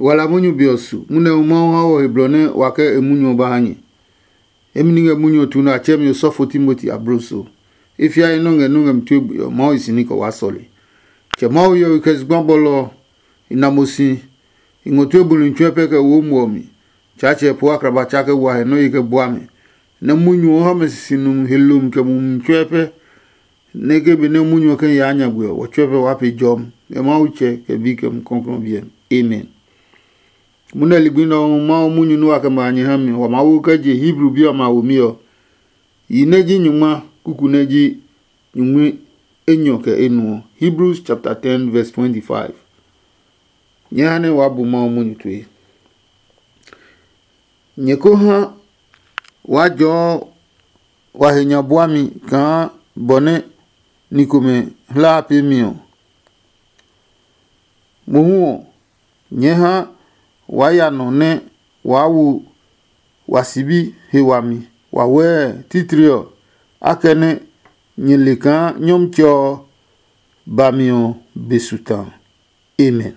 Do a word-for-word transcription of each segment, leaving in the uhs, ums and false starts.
Wala munyu be ɔ su, munɛ hu Mawu ha wɔ he blɔ nɛ wa kɛ e munyu ɔ ba ha nyɛ. Emi ni ngɛ munyu ɔ tu nɛ a tsɛɛ mi osɔfo Timoti abloso. E fiae nɔ́ ngɛ nɔ́ ngɛ mi tue gbe ɔ, Mawu hi si ní kɛ waa sɔle. Tsɛ Mawu hiɔwe kɛ zugba bɔlɔ ɔ, i na mo si, i ngɔ tue buli tsuɛ pɛ kɛ wo muɔ mi. Tsaatsɛ po akraba tsa kɛ wa he nɔ́ ye kɛ bua mi. Nɛ munyu ɔ ha mɛ sisi numi he lomi kɛ mumi tsuɛ pɛ. Nɛ ke benɛ munyu ɔ kɛ yaa nyagbe ɔ, wɔ tsuɛ pɛ waa pee jɔmi. Ngɛ Mawu tsɛ kɛ bi kɛ mu kɔklɔɔ biɛ mi. Amen. Munɛ ligbi nɛ ɔ Mawu munyu nɛ wa kɛ ma a nyɛ ha mi, wa maa wo kɛ je Hebru bi ɔmɛ a womi ɔ, yi nɛ ji nyungma kuku nɛ ji nyungmi enyɔ kɛ enuɔ. Hebrews chapter ten verse twenty-five. Nyɛ ha nɛ waa bu Mawu munyu tue. Nyɛ ko ha waa jɔɔ wa he nya buami kaa bɔ nɛ ni komɛ hlaa peemi ɔ. Mohu ɔ, nyɛɛ ha waa ya nɔ nɛ waa wo wa sibi he wami wawɛɛ titri ɔ, akɛnɛ nyɛ le kaa Nyɔmtsɛ ɔ ba mi ɔ be su ta. Amen.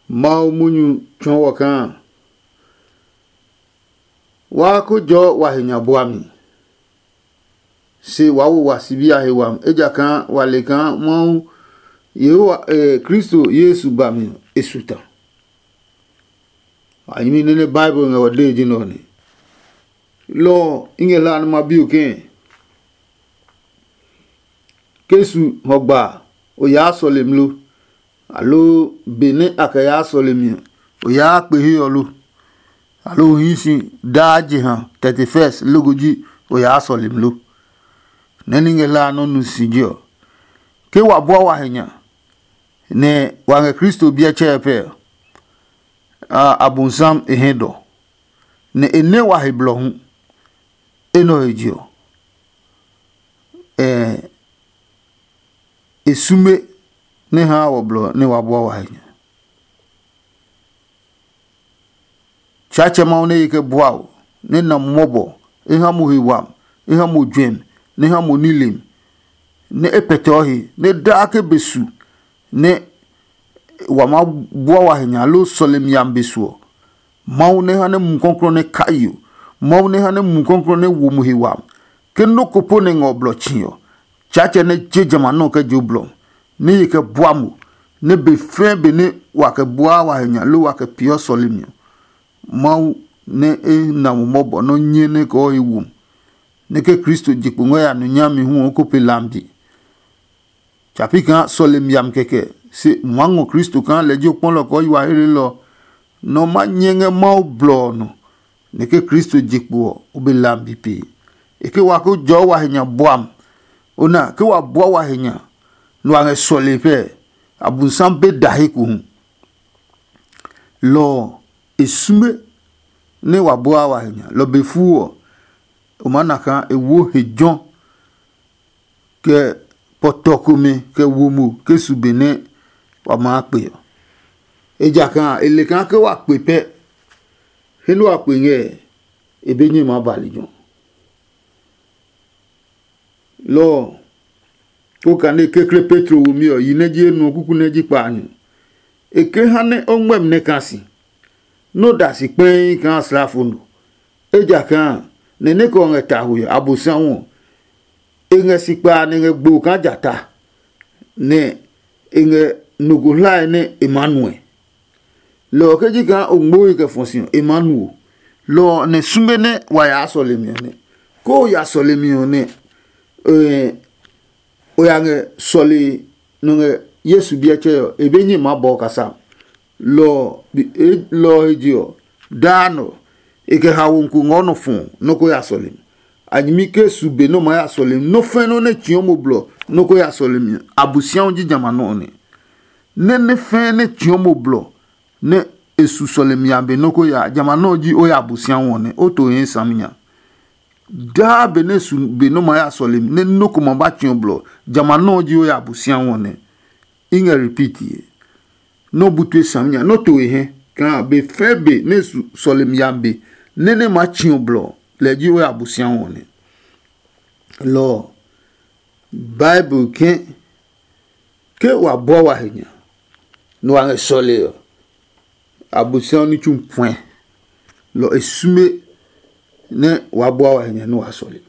Mawu munyu tsɔɔ wɔ kaa waa ko jɔɔ wa he nya bua mi, se waa wo wa sibi a he wami, ejakaa wa le kaa Mawu Yehowa, eh, Kristo Yesu ba mi ɔ, e su ta. A nyɛmi nɛ nɛ Bible ngɛ wɔ dee ji nɛ ɔ ne. Lɔ ɔ, i ngɛ hlaa nɛ ma bi o kɛɛ, ke su hɔgba a, o yaa sɔlemi lo? Aloo benɛ a kɛ yaa sɔlemi ɔ, o yaa kpe he ɔ lo? Aloo o hii si daa jeha thirty-first loko ji o yaa sɔlemi lo? Nɛ ní ngɛ hlaa nɔ́ nu si je ɔ, ke wa bua wa he nya, nɛ wa ngɛ Kristo biɛ tsɛɛ pɛ ɔ, a Abonsam e hɛ dɔ, nɛ e nɛ wa he blɔ hu. Enɛ ɔ he je ɔ, e sume nɛ haa wɔ blɔ nɛ wa bua wa he nya. Tsaatsɛ Mawu nɛ ye kɛ bua o, nɛ na mo mɔbɔ, e ha mo he wami, e ha mo juɛmi, nɛ e ha mo nilemi, nɛ e pɛtɛɔ he, nɛ daa ke be su nɛ wa maa bua wa he nya loo sɔlemi yami be su ɔ, Mawu nɛ ha nɛ Mumi Klɔuklɔu nɛ kai yo. Mawu nɛ ha nɛ Mumi Klɔuklɔu nɛ wo mo he wami. Ke nɔ́ ko po nɛ ngɛ ɔ blɔ tsi ɔ, Tsaatsɛ nɛ je jamɛ a nɔ́ kɛ je o blɔ, nɛ ye kɛ bua mo, nɛ be fɛɛ be nɛ wa kɛ buaa wa he nya loo wa kɛ peeɔ sɔlemi ɔ, Mawu nɛ e na mo mɔbɔ nɔ́ nyɛ nɛ kɔɔ he wo mo, nɛ ke Kristo je kpo ngɛ ya nɔ nyami hu ɔ ko pe lambi. Tsa pi kaa sɔlemi yami kɛkɛ, se ma ngɔ Kristo kaa lɛ ji o kpɔlɔ kɛ o yi wa helelɔ ɔ, nɛ o ma nyɛ ngɛ Mawu blɔ ɔ nɔ, nɛ ke Kristo je kpo ɔ, o be lambi pee. E ke wa ko jɔɔ wa he nya buam. O na, ke wa bua wa he nya, nɛ wa ngɛ sɔlee pɛɛ, Abonsam be da he ko hu. Lɔ ɔ, e sume nɛ wa bua wa he nya. Lɔ be fuu ɔ, o maa na kaa e wo he jɔ kɛ pɔtɔ komɛ kɛ wo mo ke su be nɛ wa maa kpe ɔ. Ejakaa e le kaa ke wa kpe pɛ, he nɛ wa kpe ngɛ ɔ, e be nyɛ maa ba lejɛ ɔ. Lɔ ɔ, ko kane kekle Petro womi ɔ, yi nɛ ji enuɔ kuku nɛ ji kpaanyɔ. E ke ha nɛ o ngmɛmi nɛ kaa si, nɛ o da si kpɛii kaa slafo no. Ejakaa nɛ nɛ kɛ ɔ ngɛ taho ɔ, Abosiami ɔ, e ngɛ si kpaa nɛ e ngɛ gbo kaa jata, nɛ e ngɛ nɔ ko hlae nɛ e maa nuɛ. Lɔ ɔ ke ji kaa o ngmoe kɛ fɔ si ɔ, e maa nuo. Lɔ ɔ nɛ sume nɛ wa yaa sɔlemi ɔ nɛ. Ke o ya sɔlemi ɔ nɛ, o ya ngɛ sɔle nɔ ngɛ Yesu biɛ tsɛ ɔ, e be nyɛ maa bɔɔ kasa. Lɔ ɔ he je ɔ, daa nɔ e kɛ haomi ko ngɔ nɔ fɔ nɔ́ ko ya sɔlemi. A nyɛmi ke su be nɔ́ maa ya sɔlemi, nɔ́ fɛ́ nɔ́ nɛ tsiɔ mo blɔ nɔ́ ko ya sɔlemi ɔ, Abosiami ji jamɛ a nɔ́ ɔ nɛ. Nɛ nɛ fɛɛ nɛ tsiɔ mo blɔ nɛ e su sɔlemi a be nɔ́ ko ya, jamɛ a nɔ́ ɔ ji o ya Abosiami ɔ nɛ, o to hii saminya. Daa benɛ e su be nɔ́ maa ya sɔlemi nɛ nɔ́ ko ma ba tsiɔ blɔ, jamɛ a nɔ́ ɔ ji o ya Abosiami ɔ nɛ. I ngɛ repeat ye. Nɔ́ bu tue saminya, nɔ́ to e hɛ kaa be fɛɛ be nɛ e su sɔlemi a be nɛ nɛ maa tsiɔ blɔ, lɛ ji o ya Abosiami ɔ nɛ. Lɔ ɔ, Bible ke ke wa bua wa he nya, nɛ wa ngɛ sɔle ɔ, Abosiami ní tsu puɛ, lɔ e sume nɛ wa bua wa hɛ nya nɛ wa sɔle.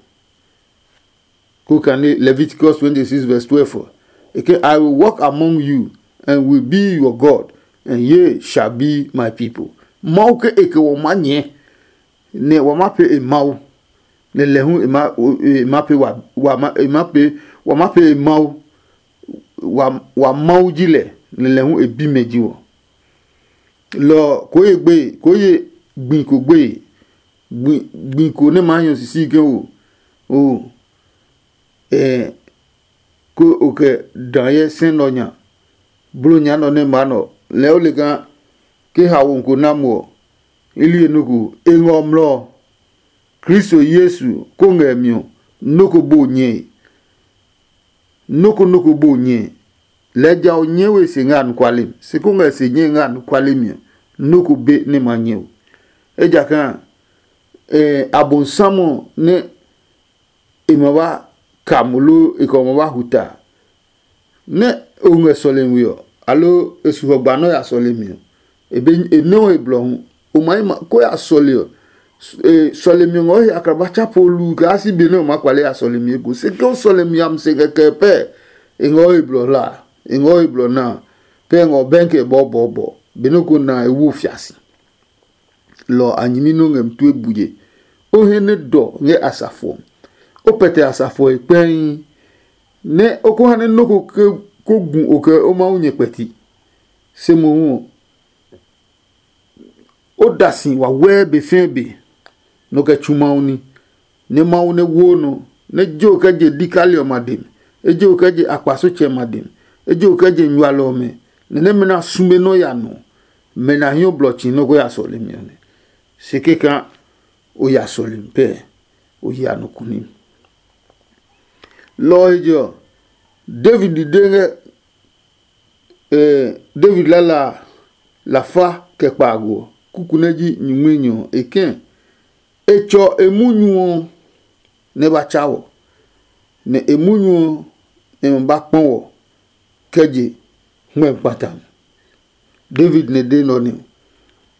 Ko kane Leviticus twenty-six verse twelve ɔ, e ke, "I will walk among you and will be your God, and ye shall be my people." Mawu ke e ke wɔ ma nyɛ, nɛ wa ma pe e Mawu, nɛ lɛ hu e ma e ma pe wa wa ma e ma pe wa ma pe e Mawu. Wa wa Mawu ji lɛ, nɛ lɛ hu e bimɛ ji wɔ. Lɔ ɔ, koo ye gbeye, koo ye gbi ko gbeye, gbi gbi ko nɛ maa hiɔ sisi ke o o ɛ ko o kɛ dã hyɛ sɛ nɔ nya, blo nya nɔ nɛ maa nɔ. Lɛɛ o le kaa ke haomi ko na mo ɔ, i li e nɔ ko e ngɛ ɔ mlɔ ɔ. Kristo Yesu ko ngɛ mi ɔ, nɔ́ ko bo nyɛe. Nɔ́ ko nɔ́ ko bo nyɛe. Lɛɛ ja o nyɛɛ we se ngɛ anɔkuale mi, se ko ngɛ se nyɛe ngɛ anɔkuale mi ɔ, nɔ́ ko be nɛ ma nyɛ o. Ejakaa ɛ Abonsam ɔ nɛ e ma ba ka mo loo e kɛ ɔ ma ba hu ta, nɛ o ngɛ sɔlemi we ɔ, aloo e su hɔ gba nɛ o ya sɔlemi ɔ, e be e nɛ o he blɔ hu. O ma yi ma ko ya sɔle ɔ, sɔlemi ɔ ngɔ he akraba tsa po lu kaa si be nɛ o maa kpale ya sɔlemi eko. Se ke o sɔlemi yami se kɛkɛ pɛ, e ngɔ he blɔ hla, e ngɔ he blɔ na, pɛ e ngɔ bɛnkɛ bɔɔbɔɔbɔ. Benɛ o ko na e wo fia si. Lɔ ɔ a nyɛmi nɛ o ngɛ mi tue bue. O he nɛ dɔ ngɛ asafo ɔ. O pɛtɛ asafo ɔ he kpɛii, nɛ o ko ha nɛ nɔ́ ko ke ko gu o kɛ o Mawu nyɛ kpɛti. Se mohu ɔ, o da si wawɛɛ be fɛɛ be, nɔ kɛ tsu Mawu ní, nɛ Mawu nɛ woo nɔ, nɛ je o kɛ je dikali ɔmɛ a dɛ mi, e je o kɛ je akpasotsɛ ɔmɛ a dɛ mi, e je o kɛ je nyualɔ ɔmɛ, nɛ nɛmɛ nɛ a sume nɔ́ ya nɔ, mɛ nɛ a hiɔ blɔ tsi nɔ́ ko ya sɔlemi ɔ nɛ. Se kɛkaa o ya sɔlemi pɛɛ, o ya nɔ kuni. Lɔ ɔ he je ɔ, David de ngɛ eh, David lala a, lafa kɛ kpaago ɔ, kuku nɛ ji nyingminyɔ ɔ, e kɛ̃, e tsɔ e munyu ɔ nɛ ba tsa wɔ, nɛ e munyu ɔ nɛ ma ba kpɔ wɔ kɛ je hmɛ kpata mi. David nɛ de nɔ nɛ ɔ.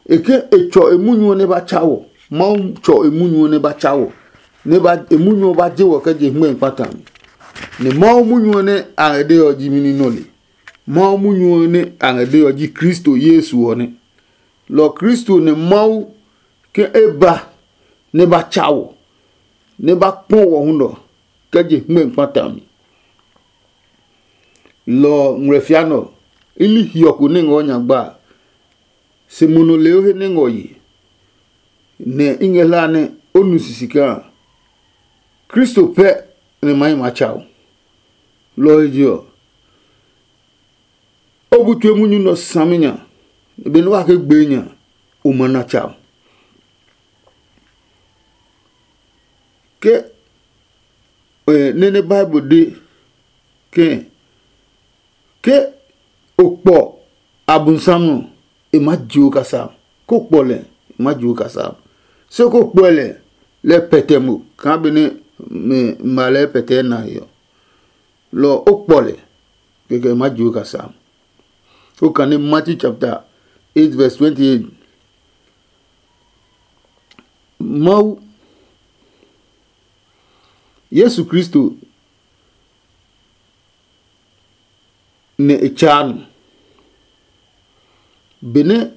E ke e tsɔ e munyu ɔ nɛ ba tsa wɔ. Mawu tsɔ e munyu ɔ nɛ ba tsa wɔ, nɛ ba e munyu ɔ ba je wɔ kɛ je hmɛ kpata mi. Nɛ Mawu munyu ɔ nɛ a ngɛ de ɔ ji mini nɔ le? Mawu munyu ɔ nɛ a ngɛ de ɔ ji Kristo Yesu ɔ nɛ. Lɔ Kristo nɛ Mawu ke e ba nɛ ba tsa wɔ, nɛ ba kpɔ wɔ hu nɔ kɛ je hmɛ kpata mi. Lɔ ɔ ngmlɛfia nɛ ɔ, i li hiɔ ko nɛ ngɔ nya gba a, se mo nɔ leo he nɛ ngɔ ye, nɛ i ngɛ hlaa nɛ o nu sisi kaa Kristo pɛ nɛ ma hi ma tsa o. Lɔ ɔ he je ɔ, o bu tue munyu nɛ ɔ sami nya, benɛ wa ke gbee nya, o ma na tsa o. Ke nɛ nɛ Bible de ke ke o kpɔ Abonsam ɔ, e maa jio kasa. Ko kpɔ lɛ, e maa jio kasa. Se ko kpɔe lɛ, lɛ pɛtɛ mo kaa benɛ ma lɛɛ pɛtɛ na he ɔ, lɔ ɔ o kpɔ lɛ, kɛkɛ e maa jio kasa. O kane Matthew chapter eight verse twenty-eight. Mawu, Yesu Kristo nɛ e tsaa nɔ. Benɛ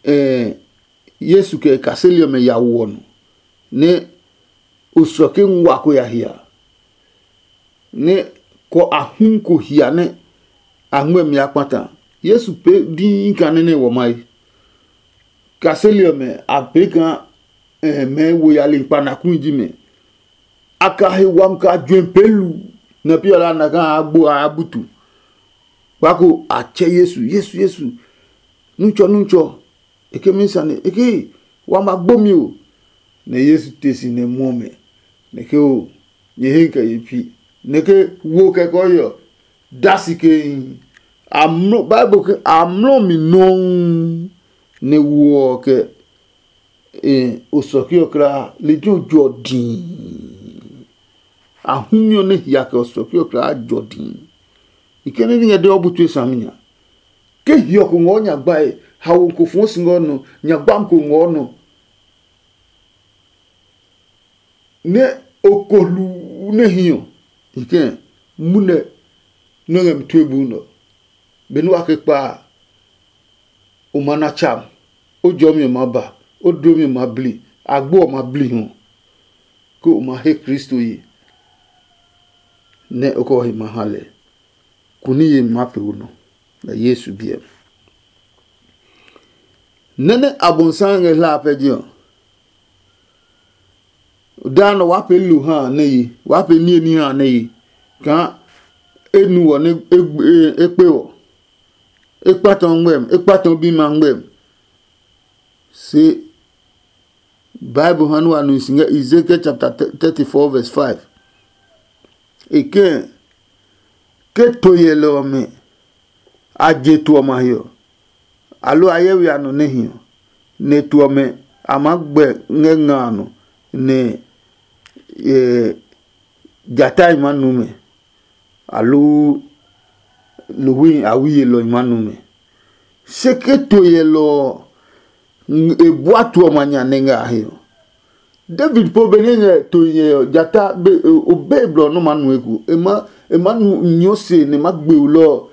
eh, Yesu kɛ e kaseli ɔmɛ ya wo ɔ nɔ, nɛ osɔ ke ngua ko ya hia, nɛ kɔ a hu ko hia nɛ a ngmɛ mi ya kpata. Yesu pee dii kaa nɛ nɛ wɔ mayi. Kaseli ɔmɛ a pee kaa eh, mɛɛ wo yali kpa na kui ji mɛ. A ka he wami kaa juɛ pee lu, nɛ pi ɔ la na kaa a gbo a butu. Kpako a tsɛ Yesu, Yesu, Yesu, nutsɔ, nutsɔ. E ke mi sane, e ke wa ma gbo mi o. Nɛ Yesu te si nɛ muɔ mɛ, nɛ ke o, nyɛ he kɛ ye pi. Nɛ ke wo kɛ kɔ yɔ, da si ke amlɔ Bible ke amlɔ mi nɔuu, nɛ wo ɔ kɛ e osɔki ɔ kra lejɛ ɔ jɔ dii. Ahumi ɔ nɛ hia kɛ osɔki ɔ kra jɔ dii. I kɛ nɛ ni ngɛ de ɔ bu tue sami nya. Ke hiɔ ko ngɔɔ nya gbae, hawo ko fɔɔ si ngɔ nɔ, nya gbam ko ngɔɔ nɔ, nɛ o ko hluu nɛ hi ɔ, i kɛ munɛ nɔ́ ngɛ mi tue bu nɔ. Benɛ wa ke kpa a, o ma na tsa, o jɔmi ɔ ma ba, o dlomi ɔ ma bli, agbo ɔ ma bli hu, ke o ma he Kristo ye, nɛ o kɛ o he ma ha lɛ. Kuni yemi ma pee o nɔ, ngɛ Yesu biɛ mi. Nɛ́ nɛ Abonsam ngɛ hla a pɛ ji ɔ, daa nɔ waa pee lo ha a nɛ ye, waa pee niemi ha a nɛ ye, kaa e nu wɔ nɛ e kpe wɔ, e kpatɔ ngmɛm, e kpatɔ bima ngmɛm. Se Bible ha nɛ wa nu si ngɛ Ezekiel chapter thirty-four verse five. E kɛɛ, ke to yɛlɛ ɔmɛ a je to ɔmɛ a he ɔ, aloo a hyɛ we a nɔ nɛ hi ɔ, nɛ to ɔmɛ a maa gbɛ ngɛ nga a nɔ, nɛ jatai ma nu mɛ, aloo lohwi a wuyelɔi ma nu mɛ. Se ke to yɛlɔ ɔ, e bua to ɔmɛ a nya nɛ ngɛ a he ɔ, David po benɛ e ngɛ to yɛ ɔ, jata be o be blɔ nɔ́ maa nu eko. E ma e ma nyɔ se nɛ ma gbe ulɔ ɔ,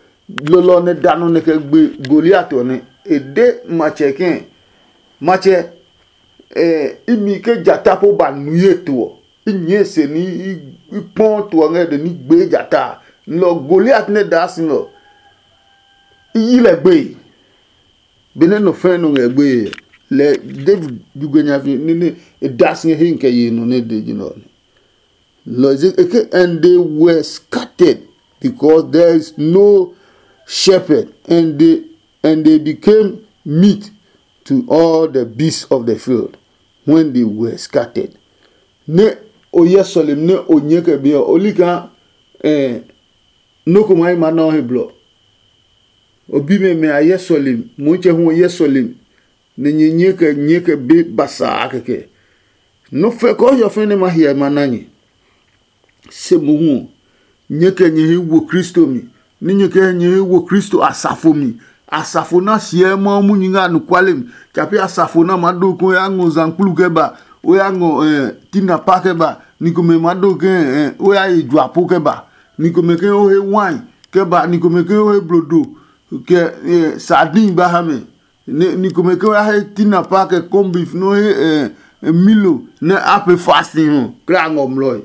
lɔlɔ ɔ nɛ da nɔ nɛ kɛ gbe Goliat ɔ nɛ e de matsɛ kɛ̃, matsɛ, imi ke jata po ba nu ye to ɔ, i nyɛɛ se ní i kpɔɔ to ɔ ngɛ de ní gbee jata a, nlɔ Goliat nɛ daa si nɔ i yi lɛ gbeye. Benɛ nɔ fɛ̃ nɔ ngɛ gbeye ɔ, lɛ David jugbe nya fi nene e da si ngɛ he kɛ ye nɔ nɛ de ji nɔ ɔ nɛ. Lɔ zi eke and they were scattered because there is no shepherd, and they and they became meat to all the beasts of the field when they were scattered. Nɛ o hyɛ sɔlemi nɛ o nyɛɛ kɛ be ɔ, o li kaa eh, nɔ́ ko maa yi maa na o he blɔ. O bi mɛ mɛ a hyɛ sɔlemi, Motsɛ hu o hyɛ sɔlemi, nɛ nyɛ nyɛɛ kɛ nyɛɛ kɛ be basaa kɛkɛ. Nɔ́ fɛ kɔɔhiɔ fɛ̃ nɛ ma hyɛ ma na nyɛ. Se mohu ɔ, nyɛɛ kɛ nyɛ he wo Kristo mi, ní nyɛ kɛ nyɛ he wo Kristo asafo mi. Asafo na siɛ Mawu munyu ngɛ anɔkuale mi, tsa pɛ asafo na maa do kaa o ya ngɔ zankplu kɛ ba, o ya ngɔ tinapa kɛ ba, ni komɛ maa do kaa o ya ye juapo kɛ ba, ni komɛ ke o he wine kɛ ba, ni komɛ ke o he blodo kɛ sardine ba ha mɛ, ni komɛ ke o ya he tinapa kɛ kombif nɛ o he milo nɛ a pee fasting ɔ, kla ngɔ mlɔe.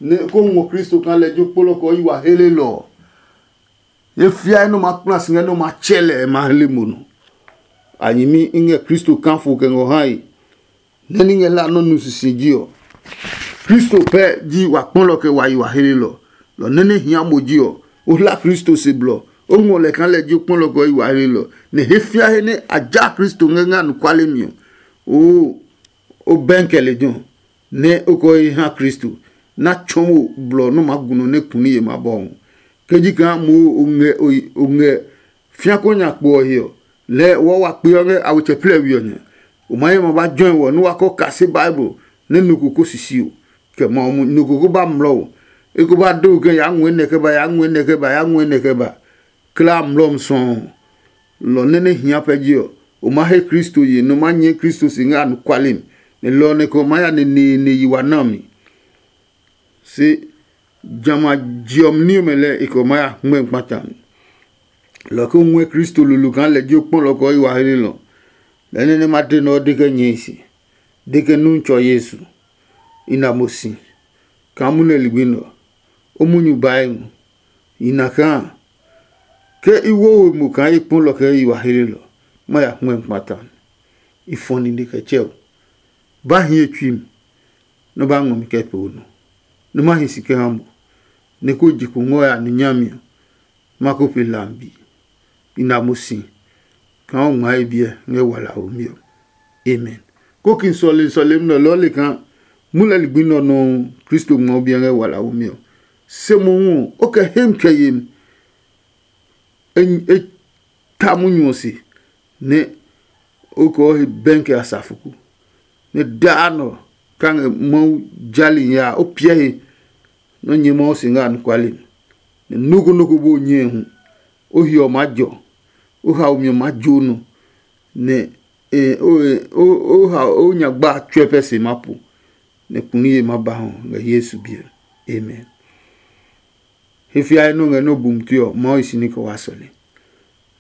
Nɛ ko ngɔ Kristo kaa lɛ jo kpolɔ kɛ o yi wa helelɔ ɔ. Ye fiae nɛ o ma kpla si ngɛ nɛ o ma tsɛ lɛ e ma hle mo nɔ. A nyɛmi i ngɛ Kristo kafo kɛ ngɔ hae, nɛ ní ngɛ hlaa nɔ́ nu sisi ji ɔ. Kristo pɛ ji wa kpɔlɔ kɛ wa yi wa helelɔ. Lɔ nɛ nɛ hia mo ji ɔ, o hla Kristo se blɔ, o ngɔ lɛ kaa lɛ ji o kpɔlɔ kɛ o yi wa helelɔ, nɛ he fia he nɛ a ja Kristo ngɛ ngɛ anɔkuale mi ɔ, oo, o bɛnkɛ lejɛ ɔ, nɛ o kɛ o he ha Kristo, nɛ a tsɔɔ mo blɔ nɛ o maa gu nɔ nɛ kuni ye ma bɔ ɔ. Ke ji kaa mo o ngɛ o ngɛ fia ko nya kpo ɔ he ɔ, lɛɛ wɔɔ wa kpe ɔ ngɛ a wetsɛ plɛ we ɔ nya. O ma ye ma ba jɔe wɔ nɛ wa kɔ kase Bible nɛ nɔ ko ko sisi o, kɛ ma ɔ mu nɔ ko ko ba mlɔ o. E ko ba do kɛ yaa ngɔɛ nɛ kɛ ba, yaa ngɔɛ nɛ kɛ ba, yaa ngɔɛ nɛ kɛ ba. Kla mlɔmi sɔɔ. Lɔ nɛ nɛ hia pɛ ji ɔ, o ma he Kristo ye nɛ o ma nyɛɛ Kristo si ngɛ anɔkuale mi, nɛ lɔ ɔ nɛ kɛ o maa ya neneene yi wa na mi. Se jamɛ a je ɔ mi ní ɔmɛ lɛɛ e kɛ o maa ya hngmɛ kpata mi. Lɔ ke o ngɔɛ Kristo lolo kaa lɛ ji o kpɔlɔ kɛ o yi wa hlelɔ. Lɛɛ nɛ nɛ ma de nɛ ɔ de kɛ nyɛe se, de ke nu tsɔ Yesu, i na mo si kaa munɛ ligbi nɛ ɔ, o munyu bae ngɔ. I na kaa ke i wo we mo kaa i kpɔlɔ kɛ i wa hlelɔ, ma ya hngmɛ kpata. I fɔ nine kɛ tsɛ o. Ba hi ye tsui mi, nɛ o ba ngɔ mi kɛ pee o nɔ, nɛ ma hi si kɛ ha mo, nɛ ko je kpo ngɔ ya ni nyami ɔ, ma ko pe lambi. I na mo si kaa o ngmaa e biɛ ngɛ walaomi ɔ. Amen. Kokin sɔlemi sɔlemi nɛ ɔ lɛɛ o le kaa mu lɛ ligbi nɛ ɔ nɔuu Kristo ngmɔ o biɛ ngɛ walaomi ɔ. Se mohu ɔ, o kɛ hem kɛ yemi e ta munyu ɔ se, nɛ o kɛ o he bɛnkɛ asafo ko, nɛ daa nɔ ka ngɛ Mawu jali nya a, o piɛ he nɛ o nyɛ Mawu si ngɛ anɔkuale mi. Nɛ nɔ́ ko nɔ́ ko bu o nyɛe hu, o hiɔ maa jɔ, O haomi ɔ maa jo nɔ, nɛ o ha o nyagba a tsuɛ pɛ se ma po, nɛ kuniye ma ba hɔ ngɛ Yesu biɛ. Amen. He fiae nɔ ngɛ nɔ bumtue ɔ, Mawu yi si ní kɛ waa sɔle.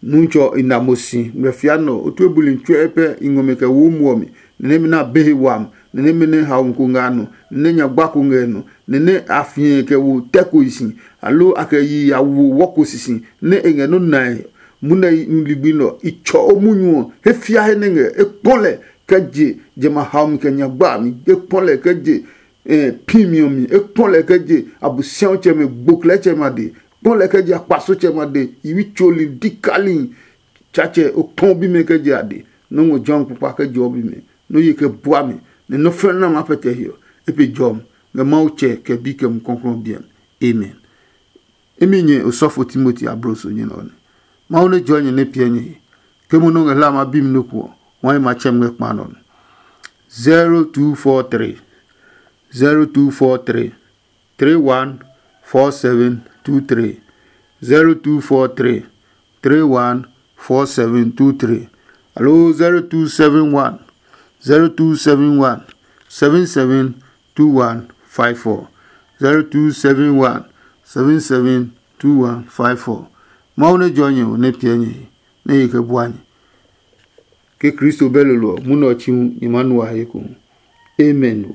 Nutsɔ i na mo si ngɛ fia nɔ, o tue buli tsuɛ pɛ i ngɔ mi kɛ wo muɔ mi, nɛ nɛmɛ nɛ a be he wami, nɛ nɛmɛ nɛ haomi ko ngɛ a nɔ, nɛ nɛ nyagba ko ngɛ e nɔ, nɛ nɛ a fĩɛ kɛ wo tɛ ko yi si, aloo a kɛ yi ya wo wɔ ko sisi, nɛ e ngɛ nɔ́ nae munɛ ligbi nɛ ɔ, i tsɔ o munyu ɔ. He fia he nɛ ngɛ e kpɔ lɛ kɛ je jamɛ a haomi kɛ nyagba a mi, e kpɔ lɛ kɛ je pimi ɔ mi, e kpɔ lɛ kɛ je Abosiatsɛmɛ gboklɛtsɛmɛ a de, kpɔ lɛ kɛ je akpasotsɛmɛ a de, yiwi tsoli dikali. Tsatsɛ o kpɔ bimɛ kɛ je a de, nɔ́ ngɔ jɔmi kpakpa kɛ je ɔ bimɛ, nɔ́ ye kɛ bua mi, nɛ nɔ́ fɛ̃ nɛ ma pɛtɛ hiɔ. E pe jɔmi ngɛ Mawu Tsɛ kɛ Bi kɛ Mumi Klɔuklɔu biɛ mi. Amen. Imi nyɛ osɔfo Timoti abloso nyɛ nɛ ɔ nɛ. Mawu nɛ jɔɔ nyɛ nɛ piɛ nyɛ he. Ke mo nɔ́ ngɛ hla ma bi mi nɔ́ ko ɔ, wai ma tsɛ mi ngɛ kpa nɔ nɛ. Zero two four three, zero two four three, three one four seven two three, zero two four three, three one four seven two three, aloo zero two seven one, zero two seven one, seven seven two one five four, zero two seven one, seven seven two one five four. Mawu nɛ jɔ nyɛ o nɛ piɛ nyɛ he, nɛ e kɛ bua nyɛ. Ke Kristo bɛ lolo ɔ, munɛ ɔ chi hu nyɛ maa nu a he eko hu. Amen o.